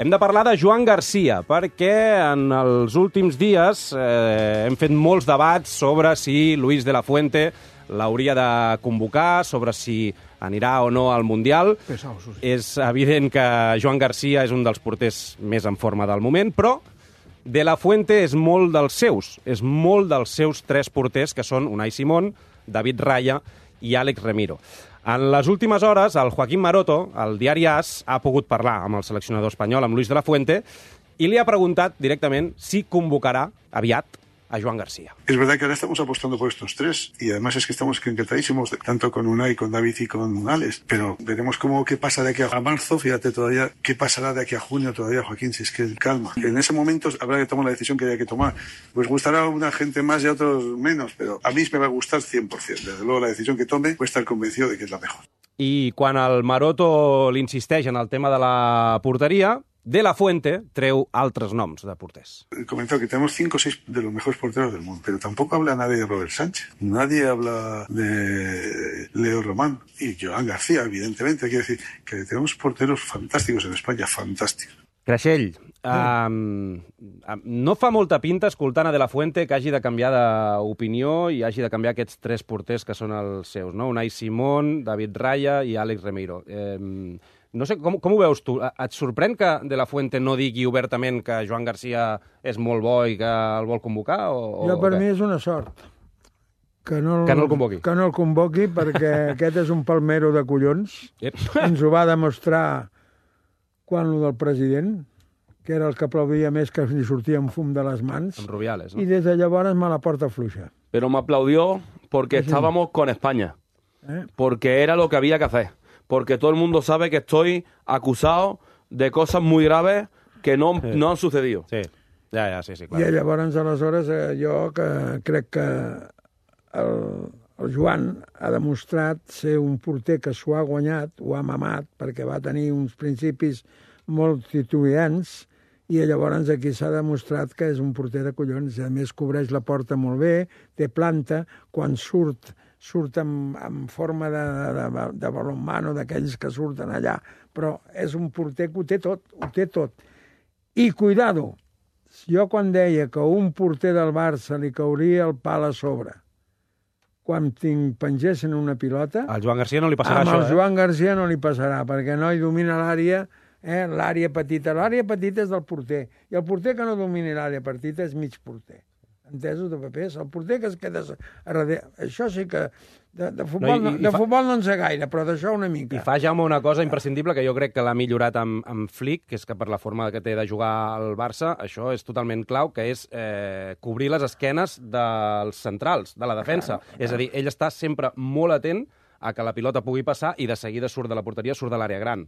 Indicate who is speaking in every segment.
Speaker 1: Hem de parlar de Joan Garcia, perquè en els últims dies hem fet molts debats sobre si Luis de la Fuente l'hauria de convocar, sobre si anirà o no al Mundial. És evident que Joan Garcia és un dels porters més en forma del moment, però de la Fuente és molt dels seus tres porters, que són Unai Simón, David Raya i Àlex Remiro. En les últimes hores, el Joaquín Maroto, al diari AS, ha pogut parlar amb el seleccionador espanyol, amb Luis de la Fuente, i li ha preguntat directament si convocarà aviat a Joan Garcia.
Speaker 2: Es verdad que ahora estamos apostando por estos tres y además es que estamos encantadísimos, tanto con Unai, con David y con Alex, pero veremos qué pasa de aquí a marzo, fíjate todavía qué pasará de aquí a junio todavía, Joaquín, si es que calma. En ese momento habrá que tomar la decisión que haya que tomar. Pues gustará a una gente más y a otros menos, pero a mí me va a gustar 100%. Desde luego la decisión que tome puede estar convencido de que es la mejor.
Speaker 1: I quan el Maroto l'insisteix en el tema de la porteria, de la Fuente treu altres noms de porters.
Speaker 2: He comentado que tenemos 5 o 6 de los mejores porteros del mundo, pero tampoco habla nadie de Robert Sánchez, nadie habla de Leo Román y Joan García, evidentemente. Quiero decir que tenemos porteros fantásticos en España, fantàstics.
Speaker 1: Creixell, no fa molta pinta, escoltant a De La Fuente, que hagi de canviar d'opinió i hagi de canviar aquests tres porters que són els seus, no? Unai Simón, David Raya i Àlex Remiro. No sé, com ho veus tu? Et sorprèn que De La Fuente no digui obertament que Joan Garcia és molt bo i que el vol convocar?
Speaker 3: Per mi és una sort. Que no
Speaker 1: el convoqui.
Speaker 3: Que no el convoqui, perquè aquest és un palmero de collons. Ens ho va demostrar quan lo del president, que era el que aplaudia més que li sortia un fum de les mans.
Speaker 1: Amb Rubiales, ¿no?
Speaker 3: Y desde llavors me la porta fluixa.
Speaker 4: Pero me aplaudió porque estábamos con España. Porque era lo que había que hacer. Porque todo el mundo sabe que estoy acusado de cosas muy graves que no han sucedido.
Speaker 1: Sí, sí, clar.
Speaker 3: I llavors, aleshores, jo crec que el Joan ha demostrat ser un porter que s'ho ha guanyat, ho ha mamat, perquè va tenir uns principis molt titubants, i llavors aquí s'ha demostrat que és un porter de collons. A més, cobreix la porta molt bé, té planta, quan surt en forma de balonmano, d'aquells que surten allà, però és un porter que ho té tot. I cuidado, jo quan deia que un porter del Barça li cauria el pal a sobre, quan pengessin una pilota...
Speaker 1: Al Joan Garcia no li passarà això,
Speaker 3: Al Joan Garcia no li passarà, perquè no hi domina l'àrea, l'àrea petita. L'àrea petita és del porter, i el porter que no domini l'àrea petita és mig porter. Entesos, de papers? El porter que es queda a darrere... Això sí que... De futbol no en sé gaire, però d'això una mica.
Speaker 1: I fa, Jaume, una cosa imprescindible que jo crec que l'ha millorat amb Flick, que és que per la forma que té de jugar al Barça, això és totalment clau, que és cobrir les esquenes dels centrals, de la defensa. És a dir, ell està sempre molt atent a que la pilota pugui passar i de seguida surt de la porteria, surt de l'àrea gran.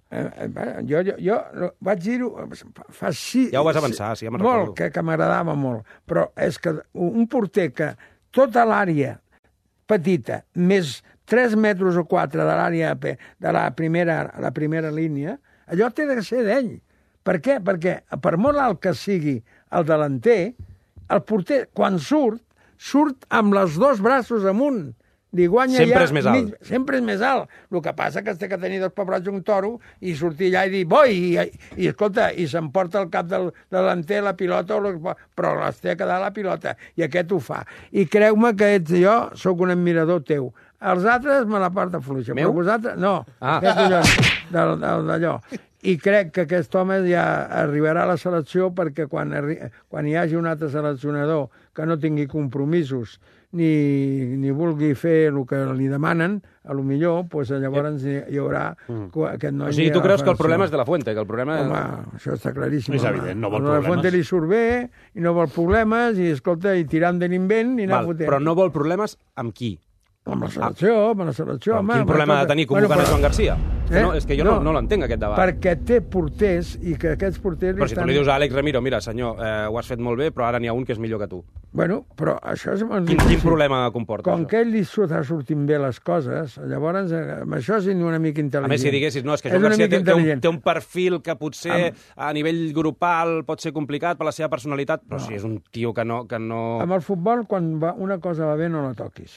Speaker 3: Jo vaig dir-ho fa
Speaker 1: Ja ho vas avançar, sí, ja me'n recordo.
Speaker 3: Molt, que m'agradava molt. Però és que un porter que tota l'àrea petita, més 3 metres o 4 de l'àrea de la primera línia, allò té de ser d'ell. Per què? Perquè per molt alt que sigui el delanter, el porter, quan surt amb els 2 braços amunt.
Speaker 1: Sempre és més alt.
Speaker 3: Sempre és més alt. El que passa que té que tenir 2 pebrots i un toro i sortir allà i dir boi! I escolta, i s'emporta el cap del delanter la pilota, però les té a quedar la pilota. I aquest ho fa. I creu-me que jo sóc un admirador teu. Els altres me la porta fluixa.
Speaker 1: Meu?
Speaker 3: Però vosaltres, no. D'allò. I crec que aquest home ja arribarà a la selecció perquè quan hi hagi un altre seleccionador que no tingui compromisos ni vulgui fer el que li demanen, a lo millor, doncs llavors hi haurà aquest noi...
Speaker 1: O sigui, tu creus que el problema és de la Fuente, que el problema...
Speaker 3: Home, això està claríssim.
Speaker 5: És evident, no vol
Speaker 3: problemes. A la Fuente li surt bé, i no vol problemes, i escolta, i tirant de l'invent, i anar fotent.
Speaker 1: Però no vol problemes amb qui?
Speaker 3: Amb la selecció, home.
Speaker 1: Quin problema ha de tenir convocant a Joan Garcia? És que jo no l'entenc, aquest debat.
Speaker 3: Perquè té porters, i que aquests porters...
Speaker 1: Però si tu li dius a Àlex Remiro, mira, senyor, ho has fet molt bé, però ara n'hi ha un que és millor que tu.
Speaker 3: Bueno, però això és...
Speaker 1: Quin problema comporta,
Speaker 3: Com que ell li està sortint bé les coses, llavors, amb això és una mica intel·ligent.
Speaker 1: A més, si diguessis, no, és que Joan Garcia té un perfil que potser a nivell grupal pot ser complicat per la seva personalitat, però si és un tio que no... Amb
Speaker 3: el futbol, quan una cosa va bé, no la toquis.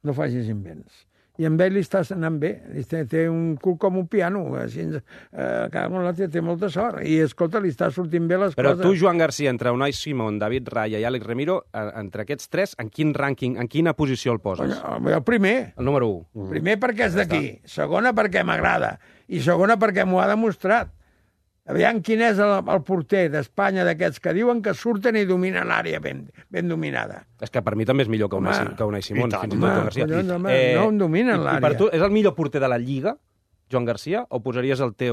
Speaker 3: No facis invents. I amb ell li està anant bé. Té un cul com un piano. Així, té molta sort. I, escolta, li està sortint bé les
Speaker 1: Però
Speaker 3: coses.
Speaker 1: tu, Joan Garcia, entre Unai Simón, David Raya i Àlex Remiro, entre aquests tres, en quin rànquing, en quina posició el poses?
Speaker 3: El primer.
Speaker 1: El número 1.
Speaker 3: Primer perquè és d'aquí. Segona perquè m'agrada. I segona perquè m'ho ha demostrat. Aviam quin és el porter d'Espanya d'aquests que diuen que surten i dominen l'àrea ben dominada.
Speaker 1: És que per mi també és millor que Unai Simón, fins i tot Joan Garcia.
Speaker 3: No em dominen l'àrea.
Speaker 1: I per tu, és el millor porter de la Lliga, Joan Garcia, o posaries el que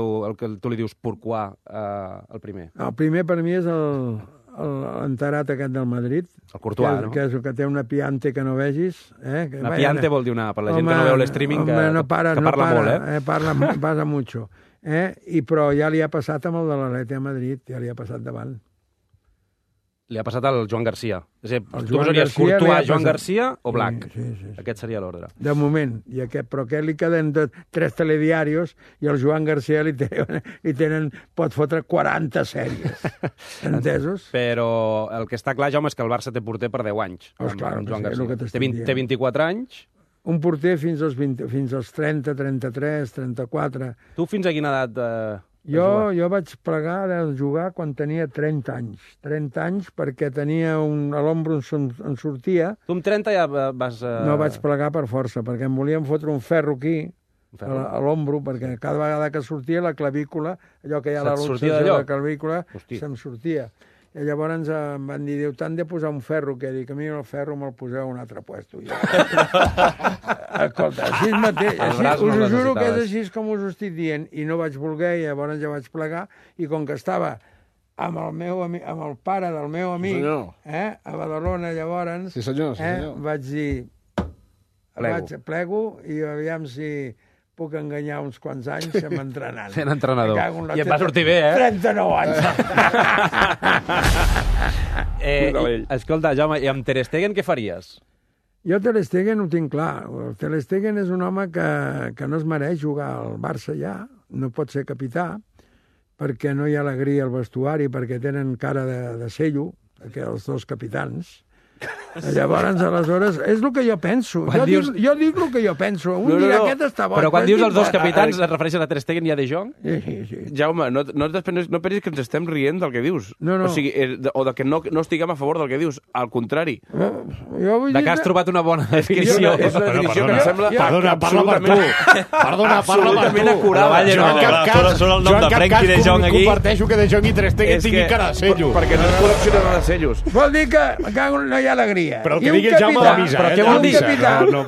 Speaker 1: tu li dius Pourquoi el primer?
Speaker 3: El primer per mi és l'enterat aquest del Madrid.
Speaker 1: El Courtois, no?
Speaker 3: Que és el que té una piante que no vegis.
Speaker 1: Una piante vol dir per la gent que no veu l'streaming, que parla molt, eh?
Speaker 3: Parla mucho. Però ja li ha passat amb el de l'Atlètic de Madrid, ja li ha passat davant.
Speaker 1: Li ha passat al Joan Garcia. És a dir, tu
Speaker 3: Joan
Speaker 1: posaries
Speaker 3: Garcia
Speaker 1: Courtois, Joan Garcia o Black?
Speaker 3: Sí.
Speaker 1: Aquest seria l'ordre.
Speaker 3: De moment. Però aquest li queden 3 telediarios i el Joan Garcia li tenen, pot fotre 40 sèries. Entesos?
Speaker 1: Però el que està clar, Jaume, és que el Barça té porter per 10 anys.
Speaker 3: Clar,
Speaker 1: Joan
Speaker 3: és el que
Speaker 1: Garcia. Té 24 anys.
Speaker 3: Un porter fins als 30, 33, 34...
Speaker 1: Tu fins a quina edat
Speaker 3: Jo vaig plegar de jugar quan tenia 30 anys. 30 anys perquè tenia a l'ombro em sortia.
Speaker 1: Tu amb 30 ja vas...
Speaker 3: No vaig plegar per força, perquè em volien fotre un ferro aquí, a l'ombro, perquè cada vegada que sortia la clavícula, allò que hi ha a la luxació de la clavícula, se'm sortia. I llavors em van dir, diu, t'han de posar un ferro, que dic, a mi el ferro me'l poseu a un altre puesto. Escolta, així mateix, us ho juro que és així com us ho estic dient, i no vaig voler, i llavors ja vaig plegar, i com que estava amb el pare del meu amic, a Badalona, llavors, vaig dir, plego, i aviam si puc enganyar uns quants anys sent entrenant.
Speaker 1: Sent entrenador. I em va sortir bé,
Speaker 3: 39 anys.
Speaker 1: Escolta, Jaume, i amb Ter Stegen què faries?
Speaker 3: Jo Ter Stegen ho tinc clar. Ter Stegen és un home que no es mereix jugar al Barça ja, no pot ser capità, perquè no hi ha alegria al vestuari, perquè tenen cara de cello, els dos capitans. Llavors, aleshores, és el que jo penso. Jo dic el que jo penso. Un dia aquest està bo.
Speaker 1: Però quan dius els dos capitans, et refereixes a Ter Stegen i a De Jong?
Speaker 3: Sí.
Speaker 4: Jaume, no pensis que ens estem rient del que dius.
Speaker 3: No.
Speaker 4: O sigui, o que no estiguem a favor del que dius. Al contrari.
Speaker 1: De que has trobat una bona definició.
Speaker 4: És una definició que em sembla...
Speaker 5: Perdona, parla per tu.
Speaker 4: Absolutament acurada.
Speaker 5: Jo en cap cas comparteixo que De Jong i Ter Stegen tinguin cara de cellos.
Speaker 4: Perquè no és col·leccionador de cellos.
Speaker 3: Vol dir que no hi ha alegria.
Speaker 5: Però el que digui el Jaume l'avisa.
Speaker 1: Però què vol dir? Que no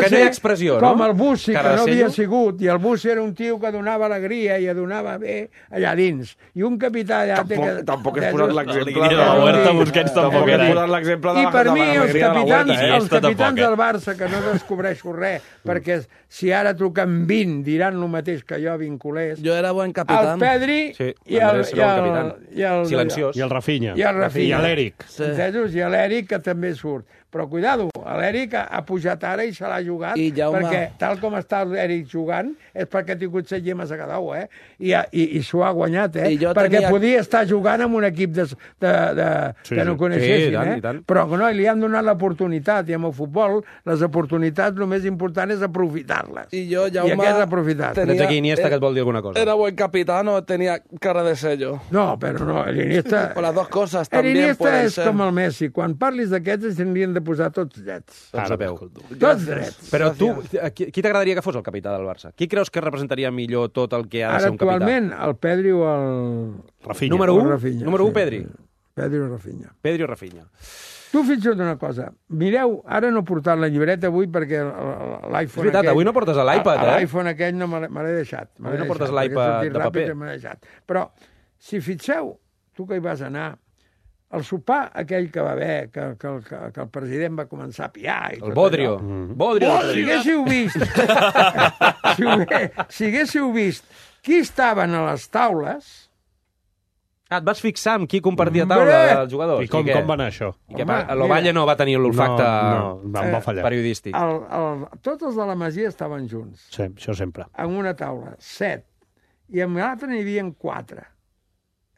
Speaker 1: hi ha expressió, no?
Speaker 3: Com el Bussi, que no havia sigut, i el Bussi era un tio que donava alegria i donava bé allà dins. I un capità allà...
Speaker 4: Tampoc has posat l'exemple
Speaker 5: de la Huerta Busquets, tampoc
Speaker 4: has posat l'exemple de
Speaker 3: I per mi els capitans del
Speaker 5: eh?
Speaker 3: Barça, que no descobreixo res, perquè si ara truquen 20 diran el mateix que jo vinculés.
Speaker 6: Jo era buen capitán.
Speaker 3: El Pedri i el
Speaker 1: silenciós.
Speaker 5: I el Rafinha.
Speaker 3: I
Speaker 5: l'Eric.
Speaker 3: Entesos? I l'Eric, que també surt. Però cuidado, l'Eric ha pujat ara i se l'ha jugat, perquè tal com està l'Eric jugant és perquè ha tingut 7 llemes a cada un, i s'ho ha guanyat, perquè podia estar jugant amb un equip que no coneixessin, però no, li han donat l'oportunitat, i amb el futbol les oportunitats el més important és aprofitar-les.
Speaker 6: I jo, Jaume,
Speaker 3: aquest és aprofitar.
Speaker 1: Tens aquí Iniesta que et vol dir alguna cosa.
Speaker 6: Era buen capitán o tenía cara de sello.
Speaker 3: No, però no, l'Iniesta...
Speaker 6: O las dos cosas también pueden ser.
Speaker 3: L'Iniesta és com el Messi. Quan parlis d'aquests s'haurien de posar tots drets. Tots drets.
Speaker 1: Però tu, qui t'agradaria que fos el capità del Barça? Qui creus que representaria millor tot el que ha de ser un capità?
Speaker 3: Actualment, el Pedri o el...
Speaker 5: Rafinha.
Speaker 1: Número 1? Número 1, Pedri?
Speaker 3: Pedri o Rafinha.
Speaker 1: Pedri o Rafinha.
Speaker 3: Tu fixa't una cosa. Mireu, ara no he portat la llibreta avui perquè l'iPhone...
Speaker 1: És veritat, avui no portes l'iPad,
Speaker 3: L'iPhone aquell no me l'he deixat.
Speaker 1: Avui no portes l'iPad de paper.
Speaker 3: Però, si fixeu, tu que hi vas anar, el sopar aquell que va haver, que el president va començar a piar...
Speaker 1: El Bodrio.
Speaker 3: Si haguéssiu vist... si haguéssiu vist qui estaven a les taules...
Speaker 1: Et vas fixar amb qui compartia taula dels jugadors?
Speaker 5: I com va anar això?
Speaker 1: L'Ovalle no va tenir l'olfacte
Speaker 5: va fallar.
Speaker 1: Periodístic.
Speaker 3: Tots els de la Masia estaven junts.
Speaker 5: Sí, això sempre.
Speaker 3: En una taula, 7. I en l'altra n'hi havia 4.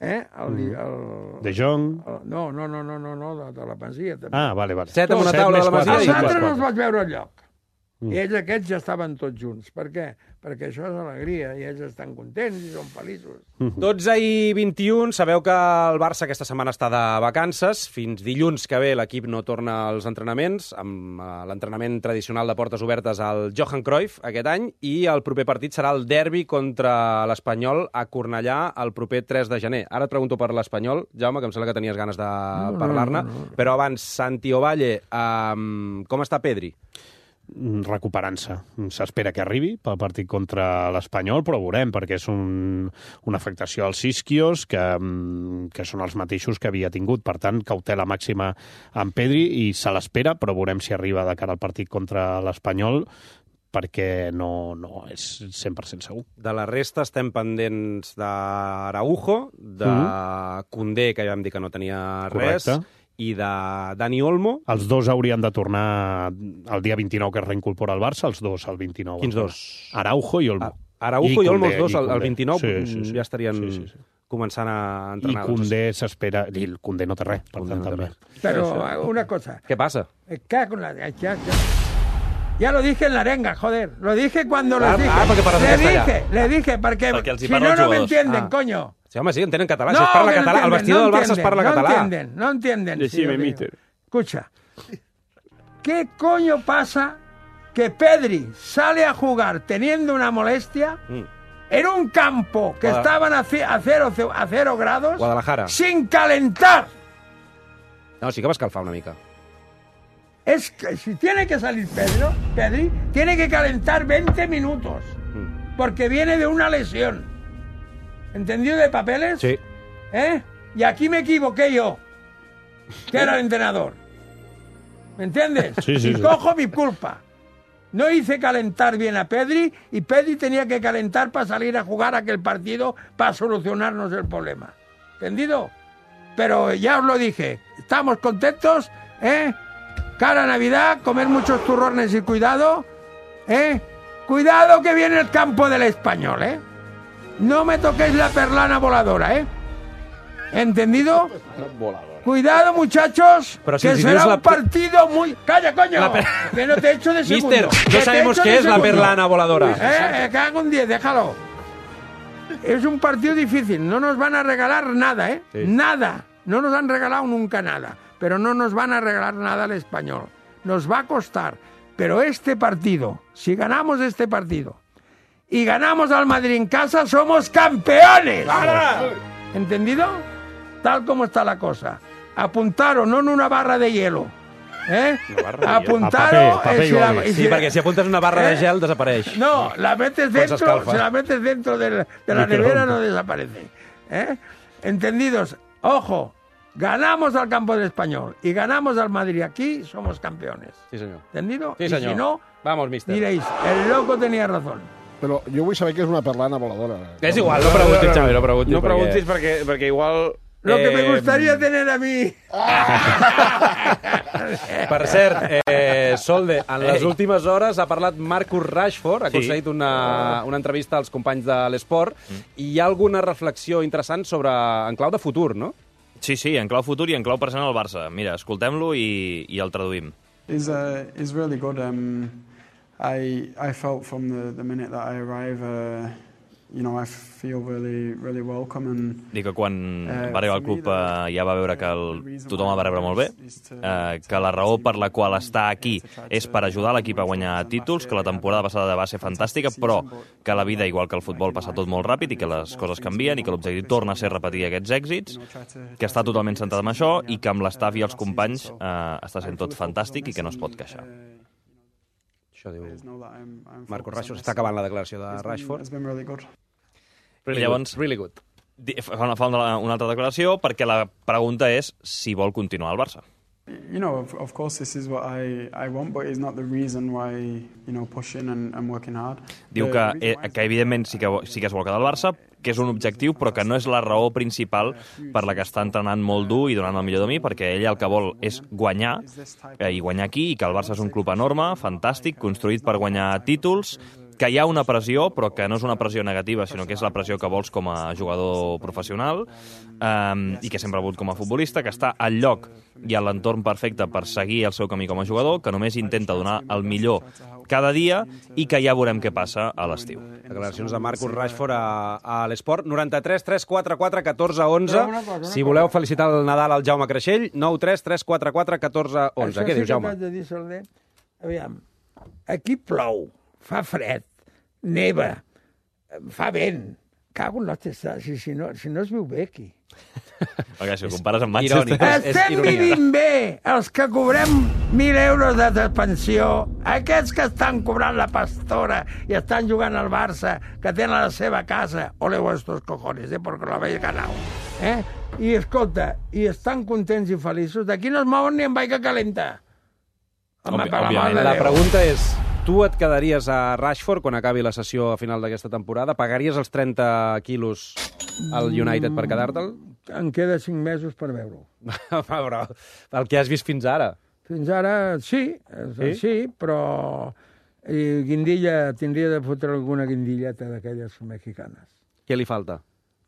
Speaker 5: De Jong...
Speaker 3: No, de la Masia també.
Speaker 5: Ah, vale.
Speaker 1: 7 en una taula de la Masia
Speaker 3: els altres no els vaig veure enlloc. I ells aquests ja estaven tots junts. Per què? Perquè això és alegria, i ells estan contents i són feliços.
Speaker 1: 12 i 21, sabeu que el Barça aquesta setmana està de vacances. Fins dilluns que ve l'equip no torna als entrenaments, amb l'entrenament tradicional de portes obertes al Johan Cruyff aquest any, i el proper partit serà el derbi contra l'Espanyol a Cornellà el proper 3 de gener. Ara et pregunto per l'Espanyol, Jaume, que em sembla que tenies ganes de parlar-ne, però abans, Santi Ovalle, com està Pedri?
Speaker 7: Recuperant-se. S'espera que arribi pel partit contra l'Espanyol, però veurem, perquè és una afectació als isquios que són els mateixos que havia tingut. Per tant, cautela màxima amb Pedri i se l'espera, però veurem si arriba de cara al partit contra l'Espanyol, perquè no és 100% segur.
Speaker 1: De la resta estem pendents d'Araujo, de Koundé, que ja vam dir que no tenia res, i de Dani Olmo.
Speaker 7: Els dos haurien de tornar el dia 29, que es reincorpora al Barça, els dos el 29.
Speaker 1: Quins dos?
Speaker 7: Araujo i Olmo.
Speaker 1: Araujo i Olmo, els dos, el 29 ja estarien començant a entrenar.
Speaker 7: I Koundé s'espera... I el Koundé no té res, per tant, també.
Speaker 3: Però una cosa...
Speaker 1: ¿Qué pasa?
Speaker 3: Ya lo dije en la arenga, joder. Lo dije cuando les dije. Le dije, porque si no me entienden, coño.
Speaker 1: Sí, home, sí, entenen català. Si es parla català, al vestidor del Barça es parla català.
Speaker 3: No entienden.
Speaker 7: Decime, mister.
Speaker 3: Escucha, ¿qué coño pasa que Pedri sale a jugar teniendo una molestia en un campo que estaban a 0 grados,
Speaker 1: Guadalajara,
Speaker 3: sin calentar?
Speaker 1: No, sí que va escalfar una mica.
Speaker 3: Es que si tiene que salir Pedri tiene que calentar 20 minutos, porque viene de una lesión. ¿Entendido de papeles?
Speaker 1: Sí.
Speaker 3: Y aquí me equivoqué yo, que era el entrenador. ¿Me entiendes?
Speaker 7: Sí.
Speaker 3: Y cojo mi culpa. No hice calentar bien a Pedri, y Pedri tenía que calentar para salir a jugar aquel partido para solucionarnos el problema. ¿Entendido? Pero ya os lo dije, estamos contentos, Cara a Navidad, comer muchos turrones y cuidado, Cuidado que viene el campo del Español, No me toquéis la perlana voladora, ¿Entendido? Cuidado, muchachos,
Speaker 1: pero si
Speaker 3: que será un partido muy... ¡Calla, coño! Que no te he hecho de segundo.
Speaker 1: Mister, no sabemos qué es la perlana voladora.
Speaker 3: Cago en 10, déjalo. Es un partido difícil, no nos van a regalar nada,
Speaker 1: Sí.
Speaker 3: Nada. No nos han regalado nunca nada, pero no nos van a regalar nada al Español. Nos va a costar. Pero este partido, si ganamos este partido y ganamos al Madrid en casa, somos campeones. ¿Entendido? Tal como está la cosa. Apuntaros, no en una barra de hielo. Apuntaros...
Speaker 1: Sí, perquè si apuntes una barra de gel desapareix.
Speaker 3: No, la metes dentro, si la metes dentro de la nevera no desaparece. ¿Entendidos? Ojo, ganamos al campo del Español y ganamos al Madrid aquí, somos campeones.
Speaker 1: Sí, senyor.
Speaker 3: ¿Entendido?
Speaker 1: Sí, senyor.
Speaker 3: Y si no,
Speaker 1: vamos, mister.
Speaker 3: diréis, el loco tenía razón.
Speaker 8: Però jo vull saber què és una perlana voladora.
Speaker 1: És igual, no preguntis, Xavi, no preguntis.
Speaker 4: No preguntis perquè igual...
Speaker 3: Lo que me gustaría tener a mí.
Speaker 1: Per cert, Solde, en les últimes hores ha parlat Marcus Rashford, ha aconseguit una entrevista als companys de l'Esport, i hi ha alguna reflexió interessant en clau de futur, no?
Speaker 5: Sí, en clau futur i en clau present al Barça. Mira, escoltem-lo i el traduïm.
Speaker 9: Is really good. I felt from the minute that I arrived, I feel really welcome. And
Speaker 5: dic que quan va arribar al club ja va veure que tothom el va rebre molt bé, que la raó per la qual està aquí és per ajudar l'equip a guanyar títols, que la temporada passada va ser fantàstica, però que la vida, igual que el futbol, passa tot molt ràpid i que les coses canvien i que l'objectiu torna a ser repetir aquests èxits, que està totalment centrat en això i que amb l'estaf i els companys està sent tot fantàstic i que no es pot queixar.
Speaker 1: Això diu Marcus Rashford. Està acabant la declaració de Rashford.
Speaker 5: Llavors,
Speaker 1: really good.
Speaker 5: Fa una altra declaració perquè la pregunta és si vol continuar al Barça.
Speaker 9: Of course this is what I want, but it's not the reason why, pushing and working hard.
Speaker 5: Diu que evidentment sí que es vol quedar al Barça, que és un objectiu, però que no és la raó principal per la que està entrenant molt dur i donant el millor de mi, perquè ell el que vol és guanyar, i guanyar aquí, i que el Barça és un club enorme, fantàstic, construït per guanyar títols, que hi ha una pressió, però que no és una pressió negativa, sinó que és la pressió que vols com a jugador professional i que sempre ha volgut com a futbolista, que està al lloc i a l'entorn perfecte per seguir el seu camí com a jugador, que només intenta donar el millor cada dia i que ja veurem què passa a l'estiu.
Speaker 1: Declaracions de Marcus Rashford a l'Esport. 93 344 14 11. Si voleu felicitar el Nadal al Jaume Creixell, 93 344 14 11. Què dius, Jaume?
Speaker 3: Això sí que t'haig de dir, Soler. Aviam, aquí plou, fa fred, neva, fa vent. Cago en l'hòstia, si no es viu bé aquí.
Speaker 5: Perquè si ho compares amb Manchester...
Speaker 3: Estem vivint bé, els que cobrem 1.000 euros de pensió, aquests que estan cobrant la pastora i estan jugant al Barça, que tenen la seva casa, ole vuestros cojones, porque lo habéis ganado. I escolta, i estan contents i feliços, d'aquí no es mouen ni en vaiga calenta. Home, per la mà de Déu.
Speaker 1: La pregunta és, tu et quedaries a Rashford quan acabi la sessió a final d'aquesta temporada? Pagaries els 30 quilos al United per quedar-te'l?
Speaker 3: Em queda 5 mesos per veure-ho.
Speaker 1: Però el que has vist fins ara.
Speaker 3: Fins ara, sí, però guindilla, tindria de fotre alguna guindilleta d'aquelles mexicanes.
Speaker 1: Què li falta?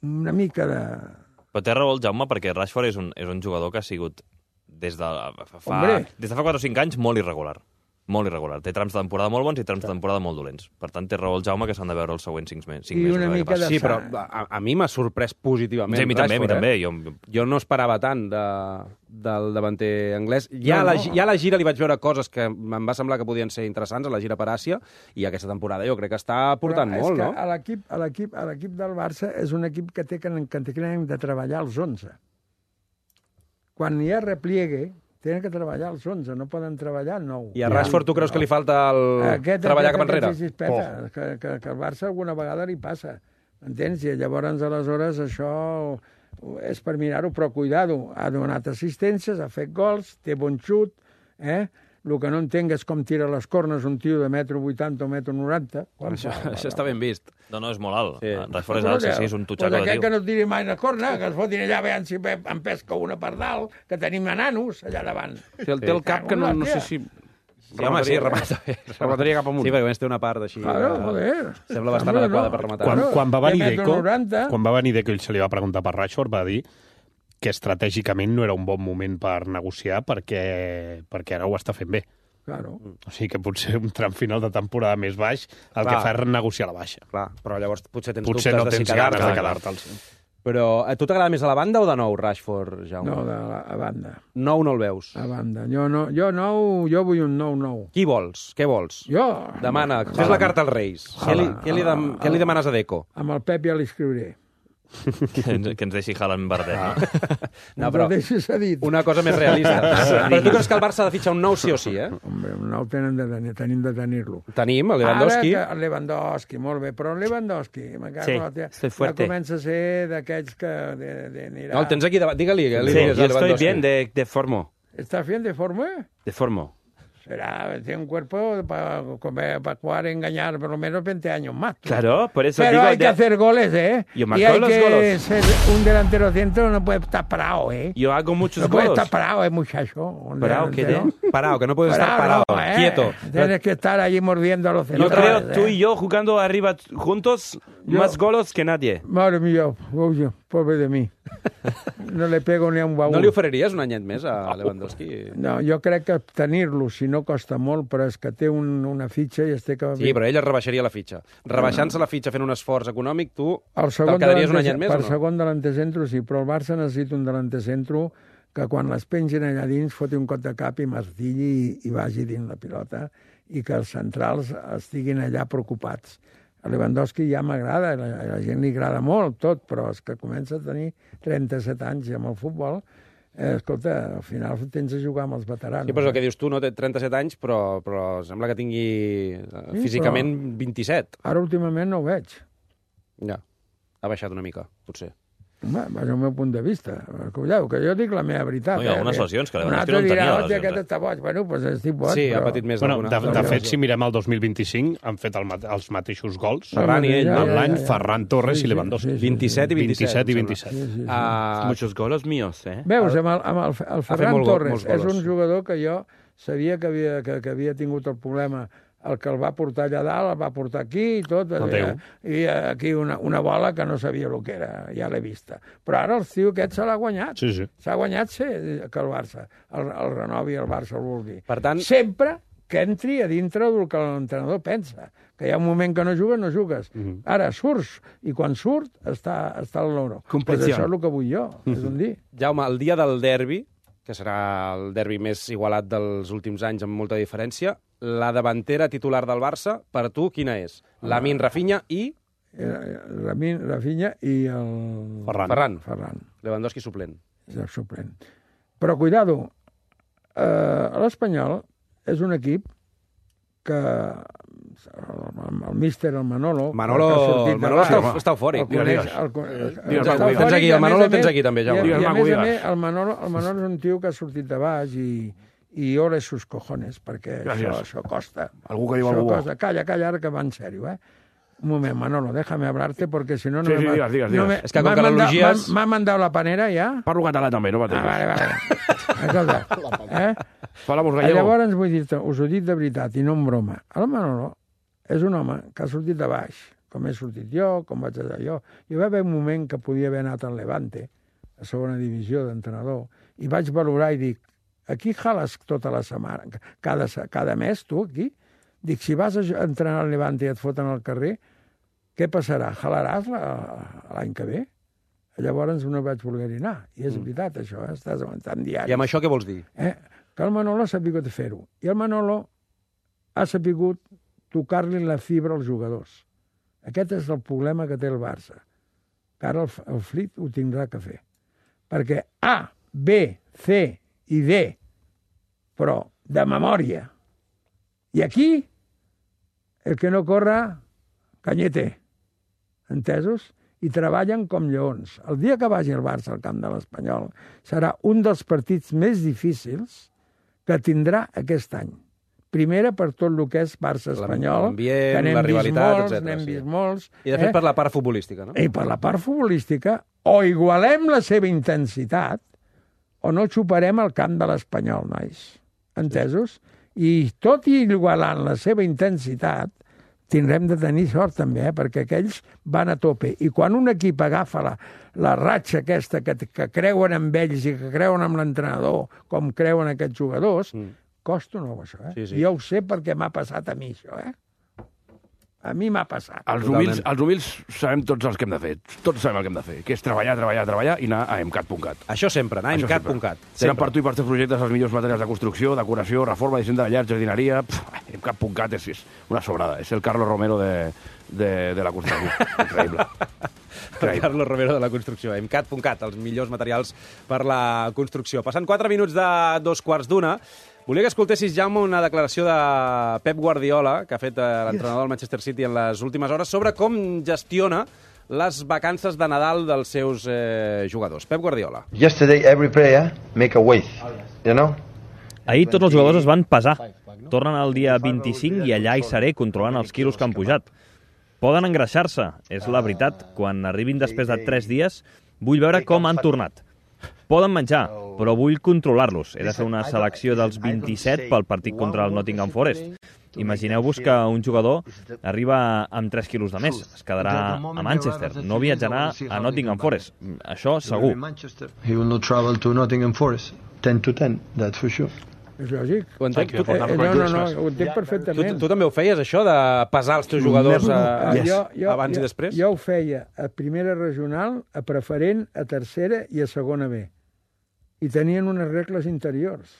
Speaker 3: Una mica de...
Speaker 5: Però té raó el Jaume, perquè Rashford és un jugador que ha sigut des de fa 4 o 5 anys molt irregular. Molt irregular. Té trams de temporada molt bons i trams de temporada molt dolents. Per tant, té raó el Jaume que s'han de veure els següents 5 mesos.
Speaker 3: I una mica de
Speaker 1: sí, però a mi m'ha sorprès positivament.
Speaker 5: Sí, a mi també.
Speaker 1: Jo no esperava tant del davanter anglès. Ja a la gira li vaig veure coses que em va semblar que podien ser interessants, a la gira per Àsia, i aquesta temporada jo crec que està aportant molt, no?
Speaker 3: A l'equip del Barça és un equip que té que de treballar els 11. Quan hi ha repliegue, tenen que treballar els 11, no poden treballar el 9.
Speaker 1: I a Rashford tu creus que li falta treballar cap enrere?
Speaker 3: Que el Barça alguna vegada li passa, entens? I llavors, aleshores, això és per mirar-ho, però cuidado, ha donat assistències, ha fet gols, té bon xut, El que no entenc és com tira les cornes un tio de 1,80 m o 1,90 m.
Speaker 1: Això està ben vist.
Speaker 5: No, és molt alt. Sí. Rashford és alt, sí, és un tutxaco de tio.
Speaker 3: Aquest que no tiri mai la corna, que es fotin allà, veient si em pesca una per dalt, que tenim nanos allà davant.
Speaker 4: Té el cap que no sé si...
Speaker 1: Sí, home, sí, remata bé.
Speaker 4: Remataria cap amunt.
Speaker 1: Sí, perquè té una part així...
Speaker 3: Claro, joder.
Speaker 1: Sembla bastant adequada per rematar.
Speaker 7: Quan va venir Deco i se li va preguntar per Rashford, va dir que estratègicament no era un bon moment per negociar perquè ara ho està fent bé.
Speaker 3: Claro.
Speaker 7: O sigui que potser un tram final de temporada més baix el que fa és renegociar la baixa.
Speaker 1: Clar, però llavors potser tens
Speaker 7: dubtes
Speaker 1: de si quedar-te.
Speaker 7: Potser no tens ganes de quedar-te'ls.
Speaker 1: Però a tu t'agrada més a la banda o de nou, Rashford, Jaume?
Speaker 3: No, a banda.
Speaker 1: Nou no el veus?
Speaker 3: A banda. Jo vull un 9-9.
Speaker 1: Qui vols? Què vols?
Speaker 3: Jo?
Speaker 1: Demana, fes la carta als Reis. Què li demanes a Deco?
Speaker 3: Amb el Pep ja l'escriuré.
Speaker 5: Que ens deixi Haaland Bardet, no?
Speaker 1: No, però una cosa més realista. Però tu creus que el Barça ha de fitxar un nou sí o sí,
Speaker 3: Hombre, un nou tenim de tenir-lo.
Speaker 1: Tenim, el Lewandowski.
Speaker 3: El Lewandowski, molt bé, però el Lewandowski, ja comença a ser d'aquells que anirà...
Speaker 1: No, el tens aquí davant, digue-li.
Speaker 4: Sí, jo estoy bien de forma.
Speaker 3: ¿Estás bien de forma?
Speaker 4: De forma.
Speaker 3: Tiene un cuerpo para jugar, engañar por lo menos 20 años más.
Speaker 4: Claro, por eso
Speaker 3: pero
Speaker 4: digo...
Speaker 3: Pero hay que hacer goles,
Speaker 4: Yo marco
Speaker 3: y hay
Speaker 4: los
Speaker 3: que
Speaker 4: goles.
Speaker 3: ser un delantero centro, no puede estar parado,
Speaker 4: Yo hago muchos
Speaker 3: no
Speaker 4: goles.
Speaker 3: No puede estar parado, muchacho.
Speaker 4: ¿Parado qué?
Speaker 1: Parado, que no puedes estar parado, quieto.
Speaker 3: Tienes que estar allí mordiendo a los centros.
Speaker 4: Yo creo tú y yo jugando arriba juntos, más goles que nadie.
Speaker 3: Madre mía, pobre de mí. No le pego ni a un baúl.
Speaker 1: No li oferiries un anyet més a Lewandowski?
Speaker 3: No, jo crec que tenir-lo, si no costa molt, però és que té una fitxa i es té que...
Speaker 1: Sí, però ell es rebaixaria la fitxa. Rebaixant-se la fitxa fent un esforç econòmic, tu te'l quedaries un anyet més o no?
Speaker 3: El segon delanter centro sí, però el Barça necessita un delanter centro que quan les pengin allà dins foti un cop de cap i martilli i vagi dins la pilota i que els centrals estiguin allà preocupats. A Lewandowski ja m'agrada, a la gent li agrada molt tot, però és que comença a tenir 37 anys amb el futbol, escolta, al final tens a jugar amb els veterans.
Speaker 1: Sí, però el que dius tu, no té 37 anys, però sembla que tingui físicament 27.
Speaker 3: Ara últimament no ho veig.
Speaker 1: Ja, ha baixat una mica, potser.
Speaker 3: Home, és el meu punt de vista. Cuidado, que jo dic la meva veritat.
Speaker 5: No, hi ha algunes lesions que
Speaker 3: Lewandowski no en tenia. Un altre dirà, aquest està boig. Bueno, doncs estic boig.
Speaker 1: Sí, ha patit més d'alguna.
Speaker 7: De fet, si mirem el 2025, han fet els mateixos gols.
Speaker 1: Ferran i ell.
Speaker 7: L'any Ferran Torres i Lewandowski.
Speaker 1: 27 i 27.
Speaker 4: Muchos goles míos,
Speaker 3: Veus, amb el Ferran Torres és un jugador que jo sabia que havia tingut el problema el que el va portar allà dalt, el va portar aquí i tot, i aquí una bola que no sabia el que era, ja l'he vista. Però ara el tio aquest se l'ha guanyat.
Speaker 7: Sí.
Speaker 3: S'ha guanyat que el Barça, el renovi el Barça el vulgui.
Speaker 1: Per tant...
Speaker 3: Sempre que entri a dintre del que l'entrenador pensa. Que hi ha un moment que no jugues, no jugues. Ara surts, i quan surt està al loro. Pues això és el que vull jo, és un dir.
Speaker 1: Jaume, el dia del derbi, que serà el derbi més igualat dels últims anys amb molta diferència, la davantera titular del Barça, per tu, quina és? Lamine, Rafinha i...
Speaker 3: Lamine, Rafinha i el...
Speaker 1: Ferran. Lewandowski suplent.
Speaker 3: És el suplent. Però, cuidado, l'Espanyol és un equip que el míster, el Manolo...
Speaker 1: Manolo està eufòric. Tens aquí, el Manolo tens aquí també, Jaume.
Speaker 3: I a més a més, el Manolo és un tio que ha sortit de baix i ole sus cojones, perquè això costa.
Speaker 8: Algú que diu algú bo.
Speaker 3: Calla, ara que va en sèrio, Un moment, Manolo, déjame hablarte, porque si no...
Speaker 8: Sí, digues.
Speaker 1: És que com que l'elogies...
Speaker 3: M'ha mandat la panera, ja?
Speaker 8: Parlo català també, no pateixis.
Speaker 3: Vale. Escolta,
Speaker 8: gallego.
Speaker 3: Llavors vull dir-te, us ho dic de veritat, i no en broma. El Manolo és un home que ha sortit de baix, com he sortit jo, com vaig estar jo. Hi va haver un moment que podia haver anat al Levante, a segona divisió d'entrenador, i vaig valorar i dic, aquí jales tota la setmana, cada mes, tu, aquí? Dic, si vas a entrenar al Levante i et foten al carrer, què passarà? Jalaràs l'any que ve? Llavors no vaig voler anar. I és veritat, això, estàs aguantant diaris.
Speaker 1: I amb això què vols dir?
Speaker 3: Que el Manolo ha sapigut fer-ho. I el Manolo ha sapigut tocar-li la fibra als jugadors. Aquest és el problema que té el Barça. Que ara el Flick ho tindrà que fer. Perquè A, B, C i D, però de memòria. I aquí, el que no corre, canyete. Entesos? I treballen com lleons. El dia que vagi el Barça al camp de l'Espanyol serà un dels partits més difícils que tindrà aquest any. Primera per tot el que és Barça-Espanyol, que n'hem vist molts.
Speaker 1: I de fet per la part futbolística, no?
Speaker 3: I per la part futbolística, o igualem la seva intensitat o no xuparem el camp de l'Espanyol, nois. Entesos? I tot i igualant la seva intensitat, tindrem de tenir sort també, perquè aquells van a tope. I quan un equip agafa la ratxa aquesta que creuen en ells i que creuen en l'entrenador, com creuen aquests jugadors, costa nou això,
Speaker 1: Sí.
Speaker 3: Jo ho sé perquè m'ha passat a mi, això, A mi m'ha passat.
Speaker 8: Els humils sabem tots els que hem de fer. Tots sabem el que hem de fer, que és treballar i anar a emcat.cat.
Speaker 1: Això sempre, anar a emcat.cat.
Speaker 8: Tenen per tu i per teus projectes els millors materials de construcció, decoració, reforma, disseny de llar, jardineria... Emcat.cat és una sobrada. És el Carlos Romero de la construcció. Increïble.
Speaker 1: El Carlos Romero de la construcció. Emcat.cat, els millors materials per la construcció. Passant 4 minuts de 2:15. Volia que escoltessis, Jaume, una declaració de Pep Guardiola, que ha fet l'entrenador del Manchester City en les últimes hores, sobre com gestiona les vacances de Nadal dels seus jugadors. Pep Guardiola.
Speaker 10: Yesterday every player make a weight, you know?
Speaker 5: Ahir tots els jugadors es van pesar. Tornen el dia 25 i allà hi seré controlant els quilos que han pujat. Poden engreixar-se, és la veritat. Quan arribin després de 3 dies, vull veure com han tornat. Poden menjar, però vull controlar-los. He de fer una selecció dels 27 pel partit contra el Nottingham Forest. Imagineu-vos que un jugador arriba amb 3 quilos de més. Es quedarà a Manchester. No viatjarà a Nottingham Forest. Això segur.
Speaker 10: He will not travel to Nottingham Forest. 10 to 10, that's for sure.
Speaker 3: És lògic.
Speaker 1: Ho entenc?
Speaker 3: No, ho entenc perfectament.
Speaker 1: Tu també ho feies, això, de pesar els teus jugadors abans i després?
Speaker 3: Jo ho feia a primera regional, a preferent, a tercera i a segona B. I tenien unes regles interiors.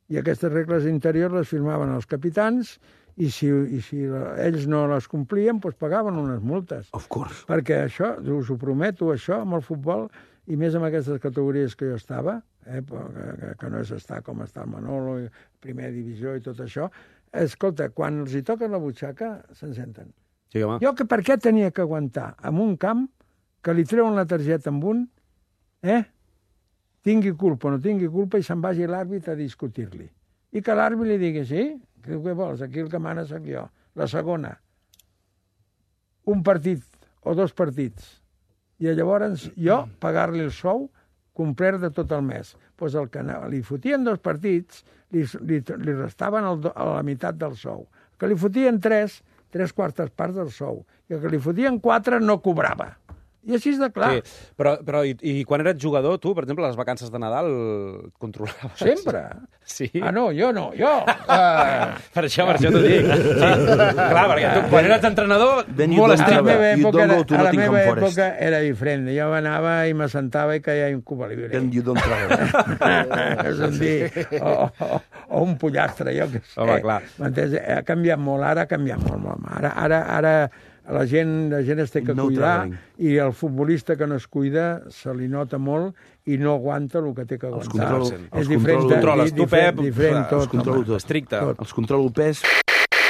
Speaker 3: I aquestes regles interiors les firmaven els capitans i si ells no les complien, doncs pagaven unes multes.
Speaker 8: Of course.
Speaker 3: Perquè això, us ho prometo, això, amb el futbol, i més amb aquestes categories que jo estava, que no és estar com està el Manolo, primera divisió i tot això, escolta, quan els hi toquen la butxaca, se'n senten.
Speaker 1: Sí, home.
Speaker 3: Jo per què tenia que aguantar en un camp que li treuen la targeta amb un, tingui culpa o no tingui culpa, i se'n vagi l'àrbit a discutir-li. I que l'àrbit li digui, sí, què vols? Aquí el que mana soc jo. La segona, un partit o 2 partits. I llavors jo pagar-li el sou complet de tot el mes. Doncs el que li fotien 2 partits li restaven a la meitat del sou. Que li fotien 3 quartes parts del sou. I el que li fotien 4 no cobrava. I així és de clar.
Speaker 1: Sí, però i quan eres jugador, tu, per exemple, les vacances de Nadal controlaves?
Speaker 3: Sempre.
Speaker 1: Sí?
Speaker 3: Ah, no, jo no. Jo...
Speaker 1: Per això t'ho dic. Sí. Clar, perquè tu, quan eres entrenador, molt estricte.
Speaker 3: A la meva època era diferent. Jo anava i m'assentava i caia un Cuba Libre.
Speaker 8: Then you don't travel.
Speaker 3: És a dir, o un pollastre, jo què sé.
Speaker 1: Home, clar.
Speaker 3: M'entens? Ha canviat molt, ara ha canviat molt. Ara la gent es té que cuidar i el futbolista que no es cuida se li nota molt i no aguanta el que té que aguantar. És diferent.
Speaker 1: Controles. Tu, Pep,
Speaker 3: tot.
Speaker 1: estricte.
Speaker 8: Els controlo pes.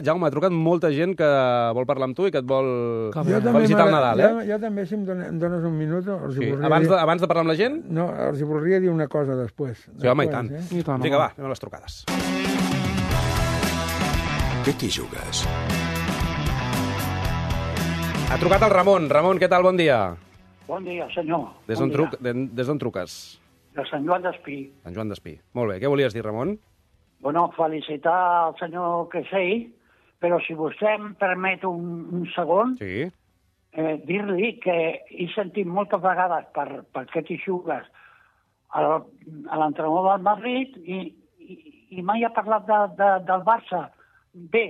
Speaker 1: Jaume, ha trucat molta gent que vol parlar amb tu i que et vol
Speaker 3: felicitar
Speaker 1: el Nadal, eh?
Speaker 3: Jo també, si em dones un minut...
Speaker 1: Sí. Abans de parlar amb la gent?
Speaker 3: No, els voldria dir una cosa després.
Speaker 1: Sí, home, i tant. Vinga, va, anem a les trucades.
Speaker 11: Què t'hi jugues?
Speaker 1: Ha trucat el Ramon. Ramon, què tal? Bon dia.
Speaker 12: Bon dia, senyor.
Speaker 1: Des d'on truques?
Speaker 12: De Sant Joan d'Espí.
Speaker 1: Sant Joan d'Espí. Molt bé. Què volies dir, Ramon?
Speaker 12: Bueno, felicitar el senyor Creixell, però si vostè em permet un segon,
Speaker 1: sí.
Speaker 12: Dir-li que he sentit moltes vegades per què t'hi jugues a l'entrenador del Madrid i mai ha parlat del Barça. Bé,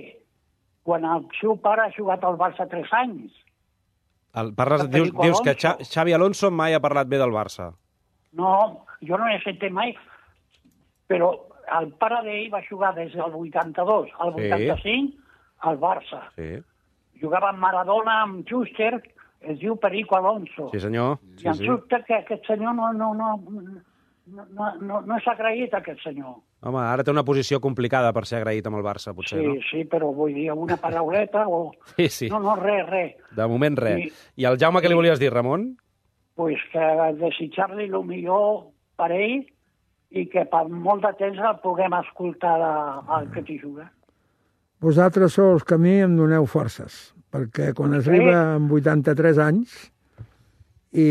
Speaker 12: quan el seu pare ha jugat al Barça 3 anys.
Speaker 1: Dius que Xavi Alonso mai ha parlat bé del Barça.
Speaker 12: No, jo no he sentit mai, però el pare d'ell va jugar des del 82 al 85 al Barça.
Speaker 1: Sí.
Speaker 12: Jugava amb Maradona, amb Schuster, es diu Perico Alonso.
Speaker 1: Sí, senyor.
Speaker 12: I em sobta que aquest senyor no s'ha agraït, aquest senyor.
Speaker 1: Home, ara té una posició complicada per ser agraït amb el Barça, potser, no?
Speaker 12: Sí, però vull dir una parauleta o...
Speaker 1: Sí.
Speaker 12: No, res.
Speaker 1: De moment, res. I al Jaume què li volies dir, Ramon?
Speaker 12: Pues que desitjar-li el millor per ell i que per molt de temps el puguem escoltar al que t'hi juga.
Speaker 3: Vosaltres sou els que a mi em doneu forces, perquè quan es arriba amb 83 anys i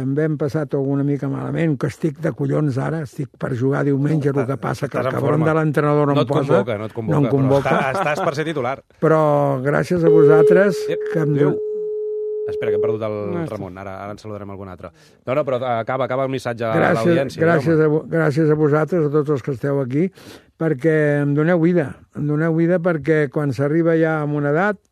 Speaker 3: em vam passar tot una mica malament, que estic de collons ara, estic per jugar diumenge, el que passa que el cabron de l'entrenador no em posa.
Speaker 1: No em convoca. Estàs per ser titular.
Speaker 3: Però gràcies a vosaltres que em diu...
Speaker 1: Espera, que hem perdut el Ramon. Ara en saludarem algun altre. No, però acaba el missatge a l'audiència.
Speaker 3: Gràcies a vosaltres, a tots els que esteu aquí, perquè em doneu vida. Em doneu vida perquè quan s'arriba ja a una edat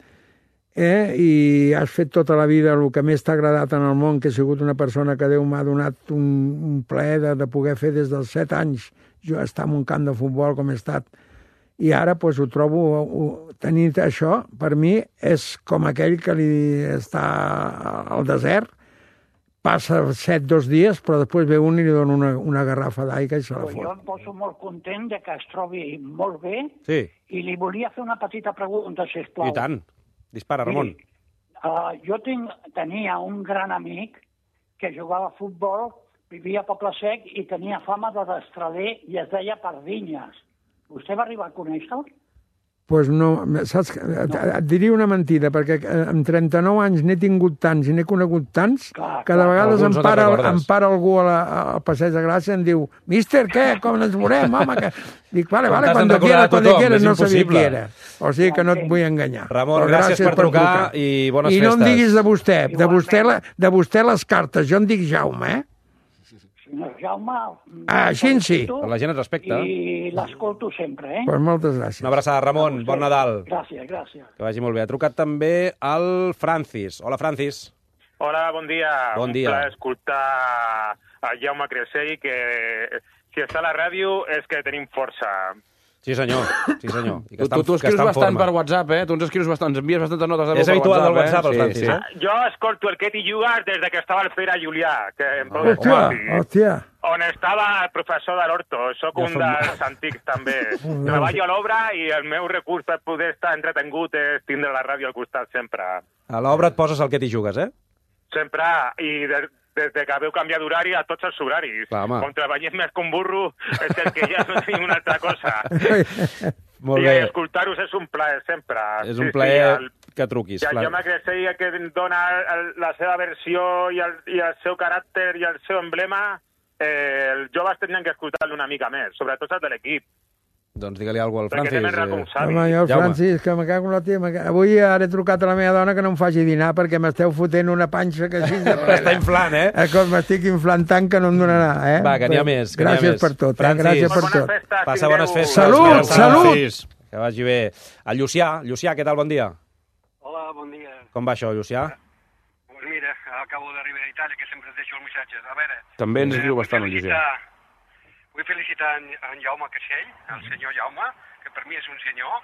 Speaker 3: i has fet tota la vida el que més t'ha agradat en el món, que he sigut una persona que Déu m'ha donat un plaer de poder fer des dels 7 anys, jo estar en un camp de futbol com he estat, i ara ho trobo, tenir això, per mi, és com aquell que li està al desert, passa 2 dies, però després ve un i li dona una garrafa d'aigua i se la fot.
Speaker 12: Jo em poso molt content que es trobi molt bé i li volia fer una petita pregunta, sisplau.
Speaker 1: I tant. Dispara, Ramon.
Speaker 12: Jo tenia un gran amic que jugava a futbol, vivia a Poble Sec i tenia fama de destraler i es deia Pardinyes. Vostè va arribar a conèixer-lo?
Speaker 3: Doncs no, saps? Et diria una mentida, perquè amb 39 anys n'he tingut tants i n'he conegut tants que de vegades em para algú al Passeig de Gràcia i em diu «Míster, què? Com ens veurem, home?» Dic, vale, cuando quieras, no sabia qui era. O sigui que no et vull enganyar.
Speaker 1: Ramon, gràcies per trucar i bones festes.
Speaker 3: I no em diguis de vostè les cartes, jo em dic Jaume,
Speaker 12: Jaume...
Speaker 3: Així sí.
Speaker 1: La gent et respecta.
Speaker 12: I l'escolto sempre,
Speaker 3: Pues moltes gràcies.
Speaker 1: Una abraçada, Ramon. Bon Nadal.
Speaker 12: Gràcies.
Speaker 1: Que vagi molt bé. Ha trucat també el Francis. Hola, Francis.
Speaker 13: Hola, bon dia.
Speaker 1: Bon dia.
Speaker 13: Un plaer escoltar el Jaume Creixell, que si està a la ràdio és que tenim força.
Speaker 1: Sí, senyor. I que
Speaker 8: tu escrius bastant per WhatsApp, Tu ens escrius bastant, ens envies bastantes notes de veu per WhatsApp.
Speaker 1: És habitual del WhatsApp, el Francis,
Speaker 13: Jo escolto el que t'hi jugues des que estava el Pere Julià, que em
Speaker 3: Hòstia.
Speaker 13: on estava el professor de l'Horto. Soc un dels antics, també. Treballo a l'obra i el meu recurs per poder estar entretengut és tindre la ràdio al costat sempre.
Speaker 1: A l'obra et poses el que t'hi jugues,
Speaker 13: Sempre, i des que veu canviar d'horari a tots els horaris. Com treballem més que un burro, és que ja no tinc una altra cosa.
Speaker 1: Molt bé.
Speaker 13: I escoltar-vos és un plaer, sempre.
Speaker 1: És un plaer que truquis.
Speaker 13: I el Jaume Creixell, que dona la seva versió i el seu caràcter i el seu emblema, els joves tenien que escoltar-lo una mica més, sobretot els de l'equip.
Speaker 1: Doncs digue-li alguna cosa al
Speaker 13: Perquè
Speaker 1: Francis.
Speaker 13: tenen raó com savi.
Speaker 3: Home, jo, el
Speaker 1: Jaume.
Speaker 3: Francis, que me cago en la tia... Avui ara he trucat a la meva dona que no em faci dinar perquè m'esteu fotent una panxa que així de plena.
Speaker 1: Està inflant,
Speaker 3: M'estic inflant tant que no em donarà,
Speaker 1: Va, que n'hi ha més.
Speaker 3: Gràcies per tot, gràcies per tot.
Speaker 1: Passa bones festes.
Speaker 3: Salut, salut!
Speaker 1: Que vagi bé. El Llucià, què tal? Bon dia.
Speaker 11: Hola, bon dia.
Speaker 1: Com va això, Llucià?
Speaker 11: Pues mira, acabo d'arribar a Itàlia, que sempre deixo els missatges. A veure...
Speaker 8: També ens escriu bastant, el Llucià.
Speaker 11: Vull felicitar en Jaume Caixell, el senyor Jaume, que per mi és un senyor,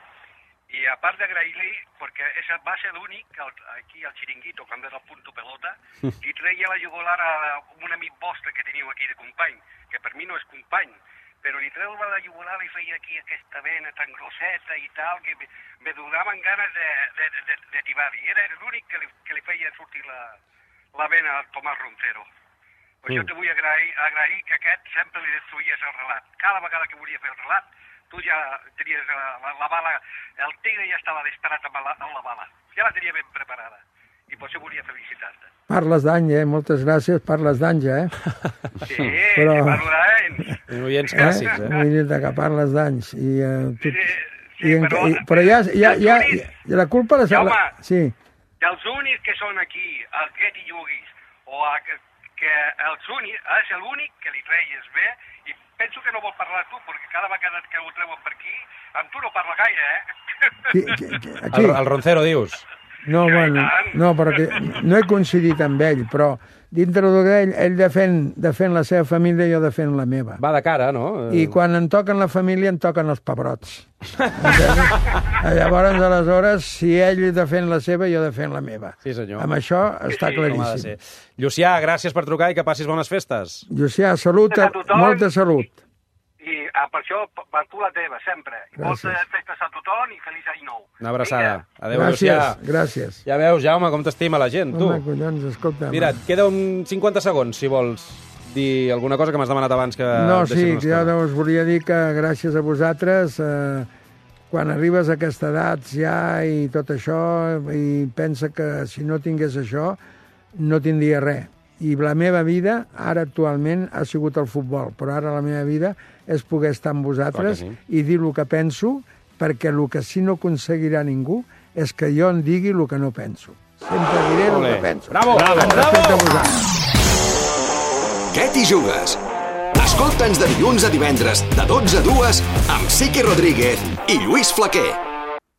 Speaker 11: i a part d'agrair-li, perquè va ser l'únic, aquí al Xiringuito, quan era el punto pelota, li treia la jugular a un amic vostre que teniu aquí de company, que per mi no és company, però li treua la jugular i feia aquí aquesta vena tan grosseta i tal, que me donaven ganes de tibar-hi. Era l'únic que li feia sortir la vena al Tomàs Roncero. Per això te vull agrair que aquest sempre li destruïes el relat. Cada vegada que volia fer el relat, tu ja tenies la bala, el tigre ja estava disparat amb la bala. Ja la tenia ben preparada. I per això volia felicitar-te.
Speaker 3: Parles d'any, moltes gràcies, parles d'anys,
Speaker 11: Sí, parlo d'anys.
Speaker 1: Oients clàssics,
Speaker 3: Vull dir que parles d'anys. Però ja la culpa...
Speaker 11: Jaume,
Speaker 3: sí.
Speaker 11: dels únics que són aquí, el Get i Juguis, o que és l'únic que li treies bé, i penso que no vol parlar tu, perquè cada vegada que ho treuen per aquí, amb tu no parla gaire,
Speaker 3: Aquí.
Speaker 1: El Roncero, dius?
Speaker 3: No, bueno, no, perquè no he coincidit amb ell, però dintre d'ell, ell defèn la seva família i jo defèn la meva.
Speaker 1: Va de cara, no?
Speaker 3: I quan em toquen la família, em toquen els pebrots. Llavors, aleshores, si ell defèn la seva, jo defèn la meva.
Speaker 1: Sí, senyor.
Speaker 3: Amb això està claríssim.
Speaker 1: Llucià, gràcies per trucar i que passis bones festes.
Speaker 3: Llucià, salut, molta salut.
Speaker 11: I per això, per tu la teva, sempre. I moltes festes a tothom i feliç any nou.
Speaker 1: Una abraçada. Adéu, Llucià.
Speaker 3: Gràcies.
Speaker 1: Ja veus, Jaume, com t'estima la gent, tu.
Speaker 3: Home, collons, escolta.
Speaker 1: Mira, et queda 50 segons, si vols dir alguna cosa que m'has demanat abans que...
Speaker 3: No, sí, jo us volia dir que gràcies a vosaltres, quan arribes a aquesta edat ja i tot això, i pensa que si no tingués això, no tindria res. I la meva vida, ara actualment, ha sigut el futbol, però ara la meva vida és poder estar amb vosaltres i dir el que penso, perquè el que sí no aconseguirà ningú és que jo en digui el que no penso. Sempre diré el que penso.
Speaker 1: Bravo!
Speaker 14: Què t'hi jugues? Escolta'ns de dilluns a divendres, de 12 a 2, amb Siqui Rodríguez i Lluís Flaquer.